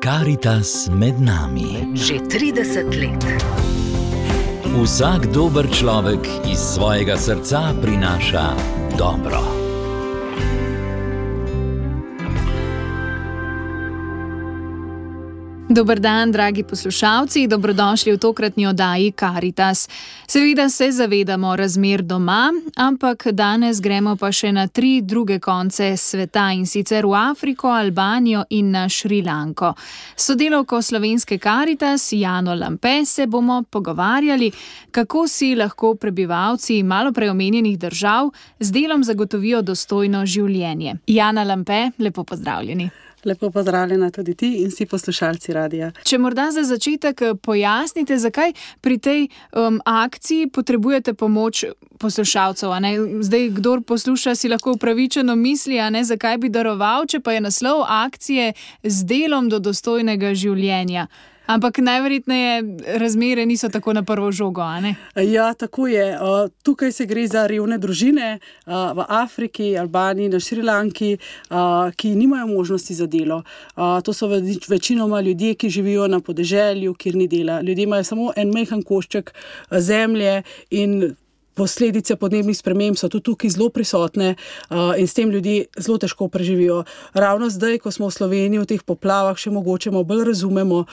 Karitas med nami. Že 30 let. Vsak dober človek iz svojega srca prinaša dobro. Dober dan, dragi poslušalci, dobrodošli v tokratni oddaji Karitas. Seveda se zavedamo razmer doma, ampak danes gremo pa še na 3 druge konce sveta, in sicer v Afriko, Albanijo in na Šrilanko. S sodelavko slovenske Karitas, Jano Lampe, se bomo pogovarjali, kako si lahko prebivalci malo prej omenjenih držav z delom zagotovijo dostojno življenje. Jana Lampe, lepo pozdravljeni. Lepo pozdravljena tudi ti in vsi poslušalci radia. Če morda za začetek pojasnite, zakaj pri tej akciji potrebujete pomoč poslušalcev. Zdaj, kdor posluša, si lahko upravičeno misli, zakaj bi daroval, če pa je naslov akcije z delom do dostojnega življenja. Ampak najverjetneje razmere niso tako na prvo žogo, Ja, tako je. Tukaj se gre za revne družine v Afriki, Albaniji, na Šrilanki, ki nimajo možnosti za delo. To so večinoma ljudje, ki živijo na podeželju, kjer ni dela. Ljudje imajo samo en majhen košček zemlje in posledice podnebnih sprememb so tudi tukaj zelo prisotne in s tem ljudje zelo težko preživijo. Ravno zdaj, ko smo v Sloveniji v teh poplavah, še mogoče bolj razumemo,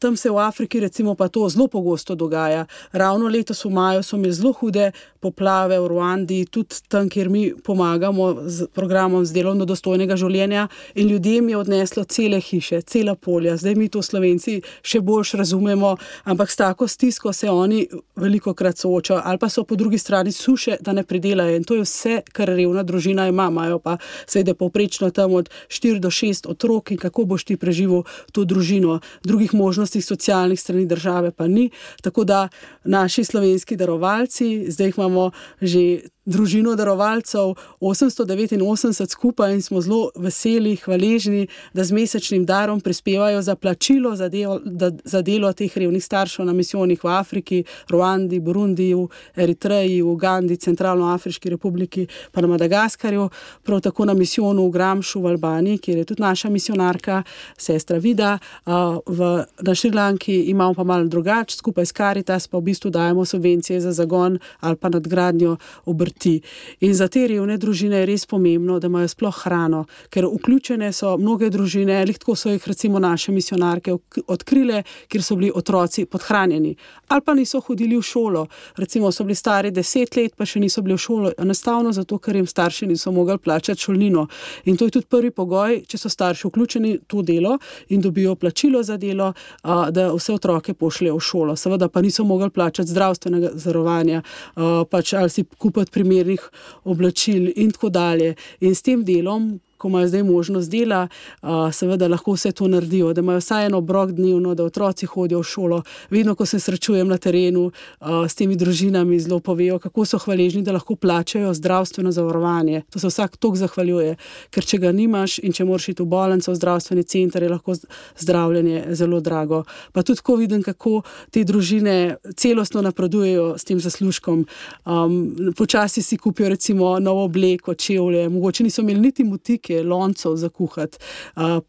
tam se v Afriki recimo pa to zelo pogosto dogaja. Ravno letos v maju so imeli zelo hude poplave v Ruandi, tudi tam, kjer mi pomagamo z programom z delom do dostojnega življenja, in ljudem je odneslo cele hiše, cela polja. Zdaj mi to Slovenci še boljš razumemo, ampak s tako stisko se oni velikokrat soočajo, ali pa so po drugi strani suše, da ne pridelajo, in to je vse, kar revna družina ima. Imajo pa seveda povprečno tam od 4 do 6 otrok, in kako boš ti preživel to družino. Drugih možnosti socialnih strani države pa ni, tako da naši slovenski darovalci, zdaj imamo že družino darovalcev 889 skupaj in smo zelo veseli, hvaležni, da z mesečnim darom prispevajo za plačilo za delo teh revnih staršev na misijonih v Afriki, Ruandi, Burundiju, Eritreji, Ugandi, Centralnoafriški republiki pa na Madagaskarju, prav tako na misijonu v Gramšu v Albaniji, kjer je tudi naša misionarka, sestra Vida. Na Šrilanki imamo pa malo drugače, skupaj s Karitas pa v bistvu dajemo subvencije za zagon ali pa nadgradnjo obrti. In za te revne družine je res pomembno, da imajo sploh hrano, ker vključene so mnoge družine, tako so jih recimo naše misionarke odkrile, kjer so bili otroci podhranjeni ali pa niso hodili v šolo. Recimo so bili stari 10 let, pa še niso bili v šolo, enostavno zato, ker jim starši niso mogli plačati šolnino. In to je tudi prvi pogoj, če so starši vključeni v to delo in dobijo plačilo za delo, da vse otroke pošljejo v šolo. Seveda pa niso mogli plačati zdravstvenega zavarovanja, ali si kupiti primernih oblačil in tako dalje. In s tem delom, ko imajo zdaj možnost dela, seveda lahko vse to naredijo, da imajo vsaj en obrok dnevno, da otroci hodijo v šolo. Vedno, ko se srečujem na terenu s temi družinami, zelo povejo, kako so hvaležni, da lahko plačajo zdravstveno zavarovanje. To se vsak toliko zahvaljuje, ker če ga nimaš in če moraš iti v bolnico, v zdravstveni center, je lahko zdravljenje zelo drago. Pa tudi ko vidim, kako te družine celostno napredujejo s tem zaslužkom. Počasi si kupijo recimo novo obleko, čevlje, mogoče niso imeli niti motike, loncev za kuhati,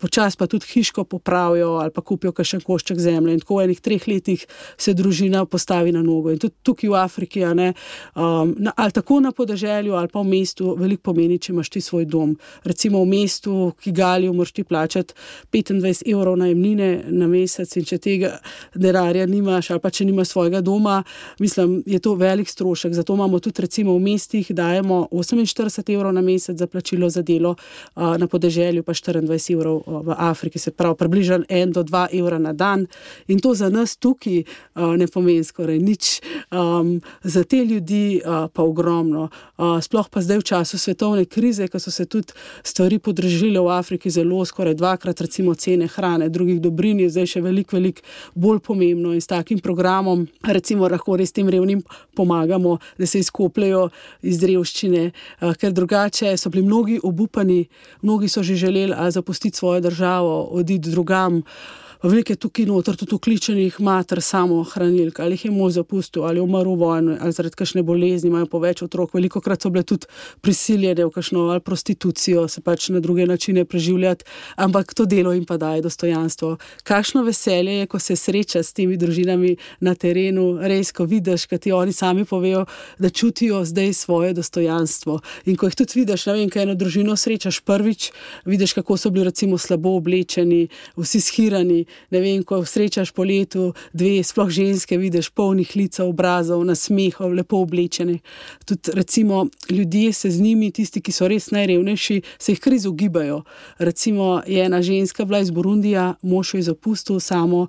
počas pa tudi hiško popravijo ali pa kupijo kakšen košček zemlje, in tako v enih 3 letih se družina postavi na nogo. In tudi tukaj v Afriki, ali tako na podeželju ali pa v mestu, veliko pomeni, če imaš ti svoj dom. Recimo v mestu Kigaliju moraš ti plačati 25 evrov najemnine na mesec, in če tega denarja nimaš ali pa če nimaš svojega doma, mislim, je to velik strošek. Zato imamo tudi recimo v mestih, dajemo 48 evrov na mesec za plačilo za delo, na podeželju pa 24 evrov v Afriki, se pravi približno 1 do 2 evra na dan, in to za nas tukaj ne pomeni skoraj nič, za te ljudi pa ogromno. Sploh pa zdaj v času svetovne krize, ko so se tudi stvari podražile v Afriki zelo, skoraj 2-krat recimo cene hrane, drugih dobrin je zdaj še veliko bolj pomembno, in s takim programom recimo lahko res tem revnim pomagamo, da se izkopljajo iz revščine, ker drugače so bili mnogi obupani, mnogi so že želeli zapustiti svojo državo, oditi drugam, veliko je tukaj noter tudi vključenih mater samohranilk, ali jih je mož zapustil, ali umrl v vojni, ali zaradi kakšne bolezni, imajo po več otrok. Velikokrat so bile tudi prisiljene v kakšno ali prostitucijo, se pač na druge načine preživljati, ampak to delo jim pa daje dostojanstvo. Kakšno veselje je, ko se sreča s temi družinami na terenu, res, ko vidiš, ko ti oni sami povejo, da čutijo zdaj svoje dostojanstvo. In ko jih tudi vidiš, ne vem, ko eno družino srečaš prvič, vidiš, kako so bili recimo slabo oblečeni, vsi shirani, ne vem, ko srečaš po letu dve, sploh ženske, vidiš polnih licev, obrazov, nasmehov, lepo oblečeni. Tudi recimo ljudje se z njimi, tisti, ki so res najrevnejši, se jih kar izogibajo. Recimo je ena ženska bila iz Burundija, mož jo je zapustil samo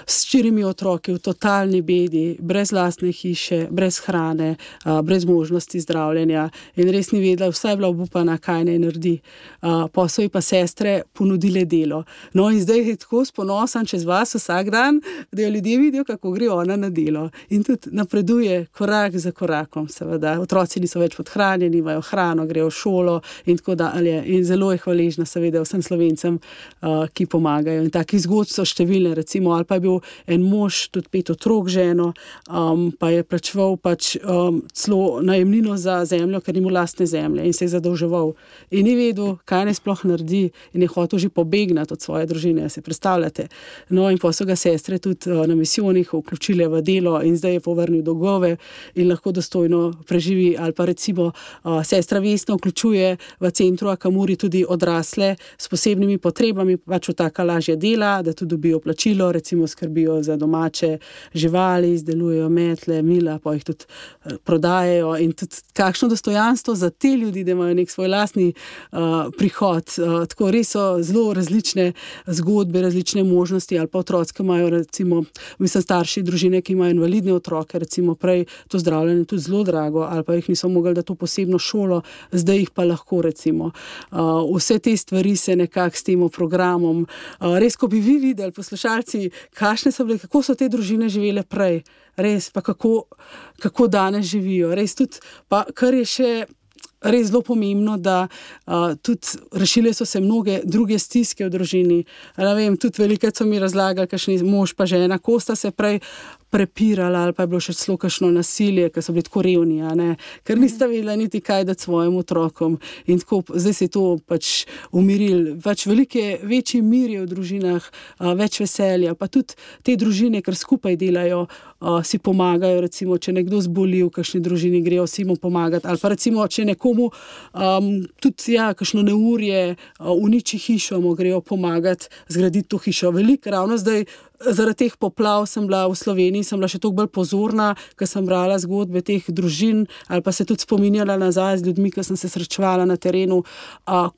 s 4 otroki v totalni bedi, brez lastne hiše, brez hrane, brez možnosti zdravljenja in res ni vedela, vsa je bila obupana, kaj naj naredi. Pa so ji pa sestre ponudile delo. No in zdaj je tako ponosen čez vas vsak dan, da jo ljudje vidijo, kako gre ona na delo. In tudi napreduje korak za korakom, seveda. Otroci niso več podhranjeni, imajo hrano, grejo v šolo in tako dalje. In zelo je hvaležna, seveda, vsem Slovencem, ki pomagajo. In takih zgodb so številne, recimo, ali pa je bil en mož, tudi 5 otrok ženo, pa je plačeval celo najemnino za zemljo, ker ni imel lastne zemlje in se je zadolževal. In ni vedel, kaj naj sploh naredi in je hotel že pobegnati od svoje družine, se predstavljate. No in pa so ga sestre tudi na misijonih vključile v delo in zdaj je povrnil dolgove in lahko dostojno preživi. Ali pa recimo sestra Vesna vključuje v centru Akamuri tudi odrasle s posebnimi potrebami, pač v taka lažja dela, da tudi dobijo plačilo, recimo skrbijo za domače živali, izdelujejo metle, mila, pa jih tudi prodajajo in tudi kakšno dostojanstvo za te ljudi, da imajo nek svoj lastni prihod. Tako res so zelo različne zgodbe, različne možnosti ali pa otroci, ki imajo recimo, starši družine, ki imajo invalidne otroke, recimo prej to zdravljenje tudi zelo drago ali pa jih niso mogli dati v posebno šolo, zdaj jih pa lahko recimo. Vse te stvari se nekako s tem programom, res, ko bi vi videli, poslušalci, kakšne so bile, kako so te družine živele prej, res, pa kako danes živijo, res tudi, pa kar je še res zelo pomembno, da tudi rešile so se mnoge druge stiske v družini. Ne vem, tudi velikokrat so mi razlagali, kakšni mož pa žena, ko sta se prej prepirala ali pa je bilo še celo kakšno nasilje, ker so bili tako revni, ker nista vedela niti kaj dati svojim otrokom. In tako, zdaj se je to pač umirilo. Pač večji mir je v družinah, več veselja, pa tudi te družine, ker skupaj delajo, si pomagajo, recimo, če nekdo zboli v kakšni družini, grejo si mu pomagati, ali pa recimo, če nekomu tudi, kakšno neurje uniči hišo, mu grejo pomagati zgraditi to hišo. Veliko ravno zdaj, zaradi teh poplav sem bila v Sloveniji, sem bila še toliko bolj pozorna, ker sem brala zgodbe teh družin ali pa se tudi spominjala nazaj z ljudmi, ki sem se srečevala na terenu,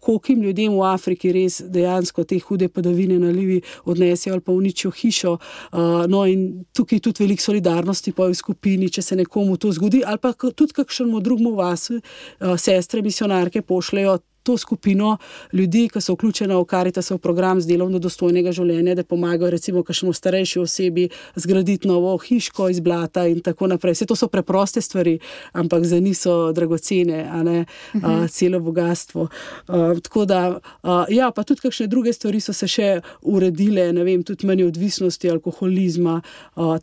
koliko ljudem v Afriki res dejansko te hude padavine, nalivi odnesejo ali pa uničijo hišo. No in tukaj tudi veliko solidarnosti pa v skupini, če se nekomu to zgodi, ali pa tudi kakšnemu drugemu vasu sestre misionarke pošljejo to skupino ljudi, ki so vključena v Caritasov program z delom do dostojnega življenja, da pomagajo recimo kakšnemu starejši osebi zgraditi novo hiško iz blata in tako naprej. Vse to so preproste stvari, ampak za njih so dragocene, celo bogatstvo. Tako da, pa tudi kakšne druge stvari so se še uredile, ne vem, tudi manj odvisnosti, alkoholizma,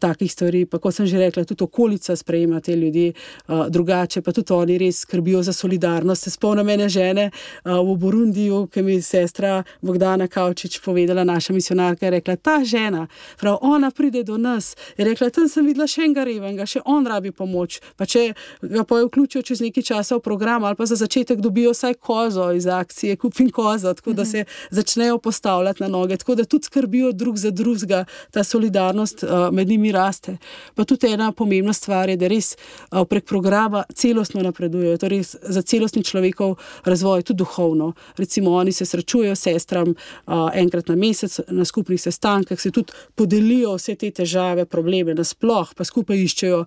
takih stvari, pa kot sem že rekla, tudi okolica sprejema te ljudi drugače, pa tudi oni res skrbijo za solidarnost. Se spomnim mene žene v Burundiju, ki mi je sestra Bogdana Kavčič povedala, naša misionarka, je rekla, ta žena, prav, ona pride do nas, je rekla, tam sem videla še enega revnega, še on rabi pomoč, pa če ga pa vključijo čez nekaj časa v program, ali pa za začetek dobijo vsaj kozo iz akcije, kupim kozo, tako da se začnejo postavljati na noge, tako da tudi skrbijo drug za drugega, ta solidarnost med njimi raste. Pa tudi ena pomembna stvar je, da res prek programa celostno napredujejo, to res za celostni človekov razvoj, tudi duhovno. Recimo, oni se srečujejo s sestram enkrat na mesec na skupnih sestankih, se tudi podelijo vse te težave, probleme nasploh, pa skupaj iščejo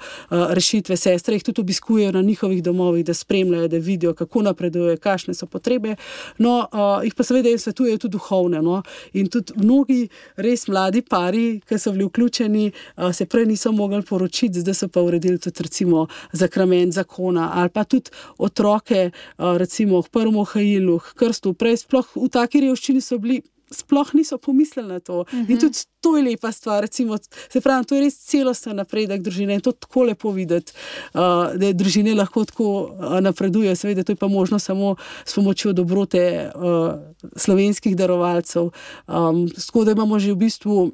rešitve. Sestre jih tudi obiskujejo na njihovih domovih, da spremljajo, da vidijo, kako napredujejo, kakšne so potrebe. No, jih pa seveda jim svetujejo tudi duhovne. No? In tudi mnogi res mladi pari, ki so bili vključeni, se prej niso mogli poročiti, zdaj so pa uredili tudi recimo zakrament zakona, ali pa tudi otroke, recimo k prvemu hajilu, k krstu, prej sploh v taki revščini so bili sploh niso pomislili na to. In tudi to je lepa stvar, recimo, se pravi, to je res celosten napredek družine in to tako lepo videti, da družine lahko tako napredujejo. Seveda, to je pa možno samo s pomočjo dobrote slovenskih darovalcev. Tako da imamo že v bistvu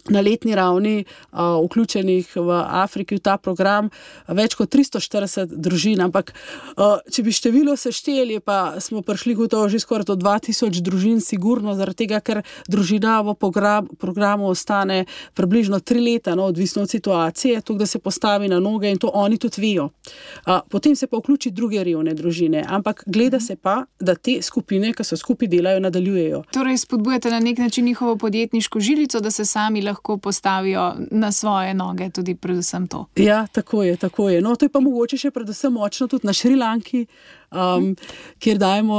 na letni ravni vključenih v Afriki v ta program več kot 340 družin, ampak če bi število sešteli, pa smo prišli gotovo že skoraj do 2000 družin sigurno, zaradi tega, ker družina v programu ostane približno 3 leta, odvisno od situacije, to, da se postavi na noge in to oni tudi vejo. Potem se pa vključi druge revne družine, ampak gleda se pa, da te skupine, ki so skupaj delajo, nadaljujejo. Torej spodbujate na nek način njihovo podjetniško žilico, da se sami lahko postavijo na svoje noge, tudi predvsem to. Ja, tako je. No, to je pa mogoče še predvsem močno tudi na Šrilanki, kjer dajemo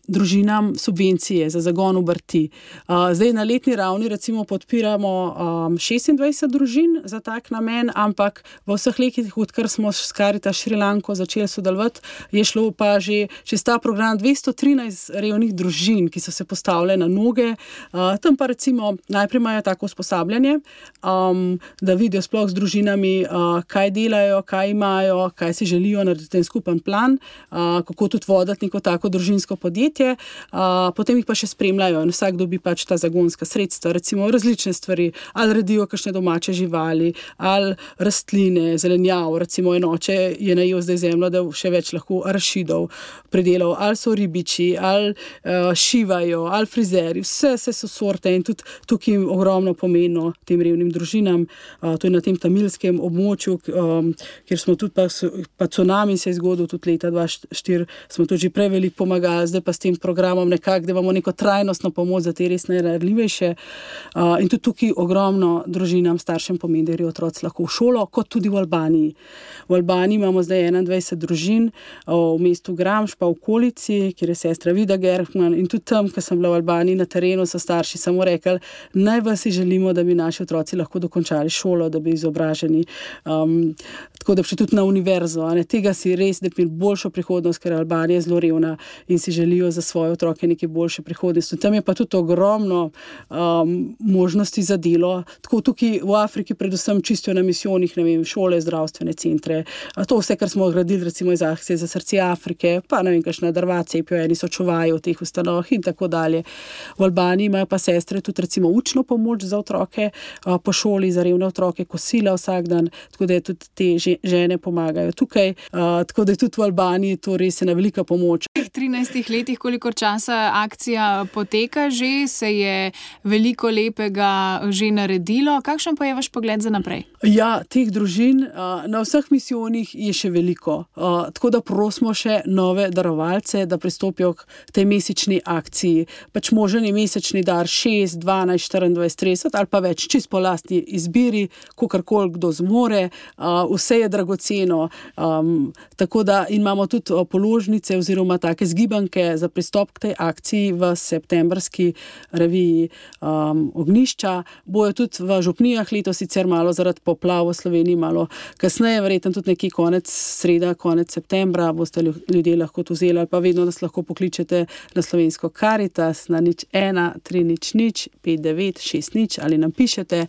družinam subvencije za zagon obrti. Zdaj na letni ravni recimo podpiramo 26 družin za tak namen, ampak v vseh letih, odkar smo s Caritas Šrilanko začeli sodelovati, je šlo pa že čez ta program 213 revnih družin, ki so se postavile na noge. Tam pa recimo najprej imajo tako usposabljanje, da vidijo sploh z družinami, kaj delajo, kaj imajo, kaj si želijo narediti ten skupen plan, kako tudi voditi neko tako družinsko podjetje, potem jih pa še spremljajo in vsak dobi pač ta zagonska sredstva, recimo različne stvari, ali redijo kakšne domače živali, ali rastline, zelenjav, recimo enoče je najel zdaj zemljo, da še več lahko arašidov pridelal, ali so ribiči, ali šivajo, ali frizeri, vse so sorte in tudi tukaj ogromno pomeno tem revnim družinam, to je na tem tamilskem območju, kjer smo tudi pa tsunami se je zgodil tudi leta 2004, smo tudi že prej veliko pomagali, zdaj pa s tem programom nekako, da imamo neko trajnostno pomoč za te res najranljivejše. In tudi tukaj ogromno družinam, staršem pomeni, da grejo otroci lahko v šolo, kot tudi v Albaniji. V Albaniji imamo zdaj 21 družin v mestu Gramš pa v okolici, kjer je sestra Vida Gerhman, in tudi tam, ko sem bila v Albaniji na terenu, so starši samo rekli, najbolj si želimo, da bi naši otroci lahko dokončali šolo, da bi izobraženi, tako da bi šli tudi na univerzo. Tega si res, da bi boljšo prihodnost, ker Albanija je zelo revna in si želijo za svoje otroke neke boljše prihodnosti. Tam je pa tudi ogromno možnosti za delo. Tako tukaj v Afriki predvsem čisto na misijonih, ne vem, šole, zdravstvene centre. To vse, kar smo gradili recimo iz Akcije za srce Afrike, pa ne vem, kakšne drvace, eni so čuvajo v teh ustanovah in tako dalje. V Albaniji imajo pa sestre tudi recimo učno pomoč za otroke po šoli, za revne otroke, kosila vsak dan, tako da tudi te žene pomagajo tukaj, tako da je tudi v Albaniji to res ena velika pomoč. V 13 letih, kolikor časa akcija poteka, že se je veliko lepega že naredilo. Kakšen pa je vaš pogled za naprej? Ja, teh družin na vseh misijonih je še veliko, tako da prosimo še nove darovalce, da pristopijo k tej mesečni akciji. Pač možen je mesečni dar 6, 12, 24, 30 ali pa več, čisto po lastni izbiri, kakorkoli kdo zmore, vse je dragoceno, tako da imamo tudi položnice oziroma take zgibanke za pristop k tej akciji v septembrski reviji Ognjišča. Bojo tudi v župnijah letos sicer malo zaradi poplav v Sloveniji, malo kasneje, verjetno tudi nekje konec septembra boste ljudje lahko to vzeli, ali pa vedno nas lahko pokličete na slovensko Caritas na 01 300 59 60 ali nam pišete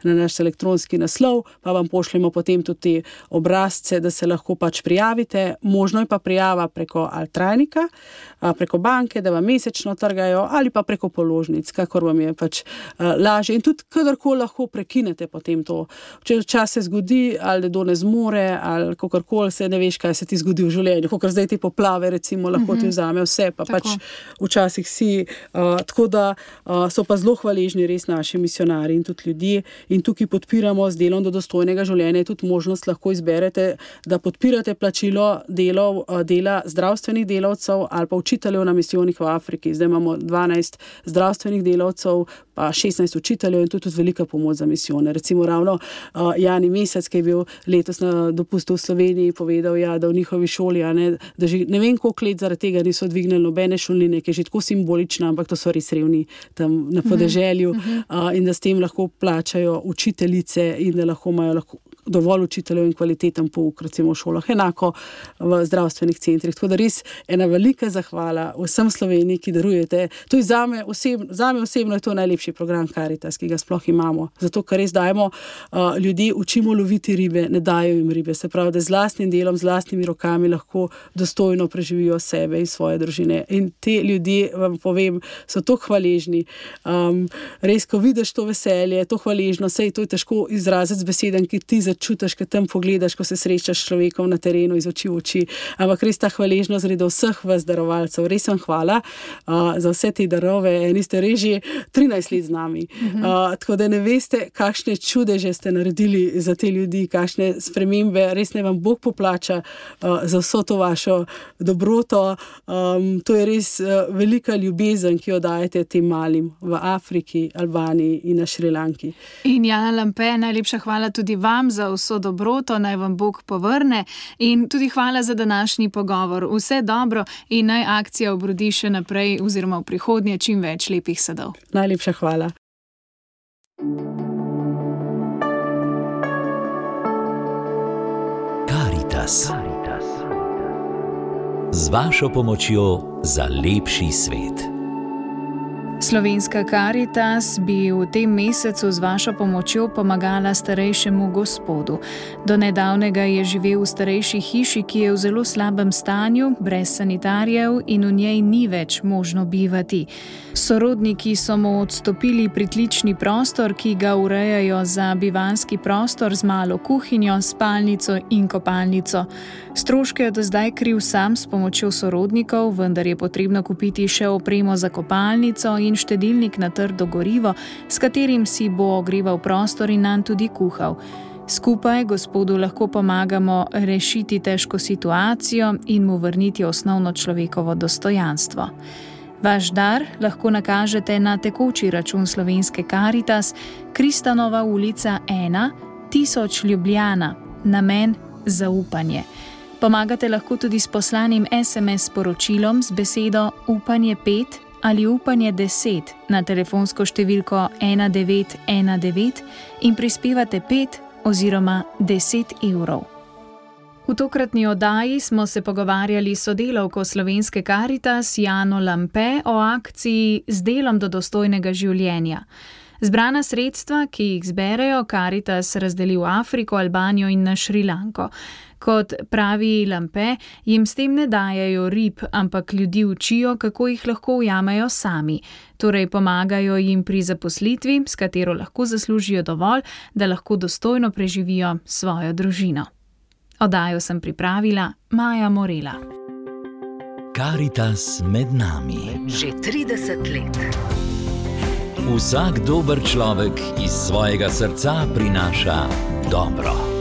na naš elektronski naslov, pa vam pošljemo potem tudi te obrazce, da se lahko pač prijavite. Možno je pa prijava preko Altrajnika, preko banke, da vam mesečno trgajo, ali pa preko položnic, kakor vam je pač lažje. In tudi kadarkoli lahko prekinete potem to. Če včasih se zgodi, ali da ne zmore, ali kakorkoli, se ne veš, kaj se ti zgodi v življenju. Kakor zdaj te poplave, recimo, lahko ti vzame vse, pa tako. Pač včasih si. Tako da so pa zelo hvaležni res naši misionari in tudi ljudje. In tukaj podpiramo z delom do dostojnega življenja. Je tudi možnost lahko izberete, da podpirate plačilo dela zdravstvenih delavcev ali pa učiteljev na misijonih v Afriki. Zdaj imamo 12 zdravstvenih delavcev, pa 16 učiteljev in tudi velika pomoč za misijone. Recimo ravno Jani Mesec, ki je bil letos na dopustu v Sloveniji, povedal, da v njihovi šoli, da že ne vem koliko let zaradi tega niso dvignili nobene šolnine, ki je že tako simbolična, ampak to so res revni tam na podeželju in da s tem lahko plačajo učiteljice in da lahko imajo dovolj učiteljev in kvaliteten pouk, recimo v šolah, enako v zdravstvenih centrih. Tako da res ena velika zahvala vsem Sloveniji, ki darujete. To je zame osebno je to najlepši program Karitas, ki ga sploh imamo. Zato, ker res dajemo ljudi, učimo loviti ribe, ne dajo jim ribe. Se pravi, da z lastnim delom, z lastnimi rokami lahko dostojno preživijo sebe in svoje družine. In te ljudje, vam povem, so to hvaležni. Res, ko vidiš to veselje, to hvaležno, sej to je težko izraziti z besedami, ki ti začutiš, ko tam pogledaš, ko se srečaš s človekom na terenu iz oči v oči. Ampak res ta hvaležnost gre do vseh vas darovalcev. Res vam hvala za vse te darove. Eni ste res že 13 let z nami. Tako da ne veste, kakšne čudeže ste naredili za te ljudi, kakšne spremembe. Res ne vam Bog poplača za vso to vašo dobroto. To je res velika ljubezen, ki jo dajete tem malim v Afriki, Albaniji in na Šrilanki. In Jana Lampe, najlepša hvala tudi vam za vso dobroto, naj vam Bog povrne in tudi hvala za današnji pogovor. Vse dobro in naj akcija obrodi še naprej oziroma v prihodnje čim več lepih sadov. Najlepša hvala. Karitas. Z vašo pomočjo za lepši svet. Slovenska Karitas bi v tem mesecu z vašo pomočjo pomagala starejšemu gospodu. Do nedavnega je živel v starejši hiši, ki je v zelo slabem stanju, brez sanitarjev in v njej ni več možno bivati. Sorodniki so mu odstopili pritlični prostor, ki ga urejajo za bivanski prostor z malo kuhinjo, spalnico in kopalnico. Stroške je do zdaj kril sam s pomočjo sorodnikov, vendar je potrebno kupiti še opremo za kopalnico in štedilnik na trdo gorivo, s katerim si bo ogreval prostor in nanj tudi kuhal. Skupaj gospodu lahko pomagamo rešiti težko situacijo in mu vrniti osnovno človekovo dostojanstvo. Vaš dar lahko nakažete na tekoči račun Slovenske Karitas, Kristanova ulica 1, 1000 Ljubljana, namen zaupanje. Pomagate lahko tudi s poslanim SMS sporočilom z besedo Upanje 5 ali Upanje 10 na telefonsko številko 1919 in prispevate 5 oziroma 10 evrov. V tokratni oddaji smo se pogovarjali s sodelavko Slovenske Karitas Jano Lampe o akciji Z delom do dostojnega življenja. Zbrana sredstva, ki jih zberejo, Karitas razdeli v Afriko, Albanijo in na Šrilanko. Kot pravi Lampe, jim s tem ne dajejo rib, ampak ljudi učijo, kako jih lahko ujamejo sami. Torej pomagajo jim pri zaposlitvi, s katero lahko zaslužijo dovolj, da lahko dostojno preživijo svojo družino. Oddajo sem pripravila Maja Morela. Karitas med nami. Že 30 let. Vsak dober človek iz svojega srca prinaša dobro.